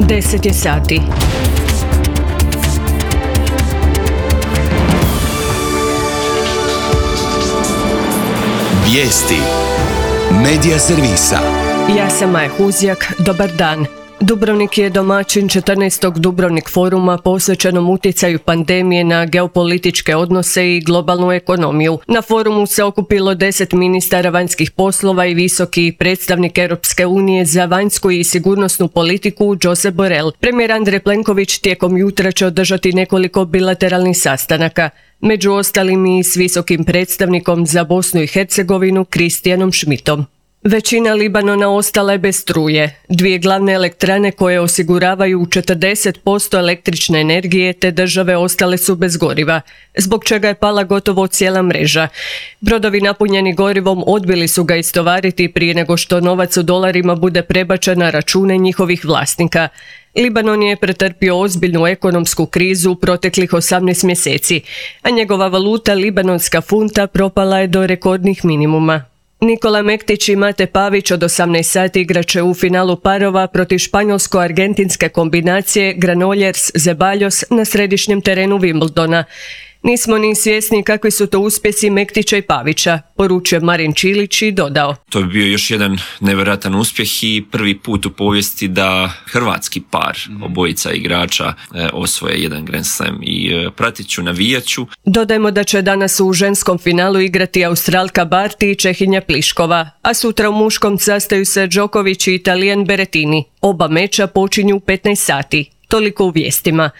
10 je sati. Vijesti Medija servisa. Ja sam Maja Huzjak, dobar dan. Dubrovnik je domaćin 14. Dubrovnik foruma posvećenom utjecaju pandemije na geopolitičke odnose i globalnu ekonomiju. Na forumu se okupilo 10 ministara vanjskih poslova i visoki predstavnik Europske unije za vanjsku i sigurnosnu politiku Josep Borrell. Premijer Andrej Plenković tijekom jutra će održati nekoliko bilateralnih sastanaka, među ostalim i s visokim predstavnikom za Bosnu i Hercegovinu Kristijanom Schmidtom. Većina Libanona ostala je bez struje. Dvije glavne elektrane koje osiguravaju 40% električne energije te države ostale su bez goriva, zbog čega je pala gotovo cijela mreža. Brodovi napunjeni gorivom odbili su ga istovariti prije nego što novac u dolarima bude prebačen na račune njihovih vlasnika. Libanon je pretrpio ozbiljnu ekonomsku krizu proteklih 18 mjeseci, a njegova valuta, libanonska funta, propala je do rekordnih minimuma. Nikola Mektić i Mate Pavić od 18 sati igraće u finalu parova protiv španjolsko-argentinske kombinacije Granollers-Zeballos na središnjem terenu Wimbledona. Nismo ni svjesni kakvi su to uspjesi Mektića i Pavića, poručio Marin Čilić i dodao. To bi bio još jedan nevjerojatan uspjeh i prvi put u povijesti da hrvatski par obojica igrača osvoje jedan Grand Slam i pratit ću, navijat ću. Dodajmo da će danas u ženskom finalu igrati Australka Barty i Čehinja Pliškova, a sutra u muškom sastaju se Djokovic i Italijan Berrettini. Oba meča počinju u 15 sati. Toliko u vijestima.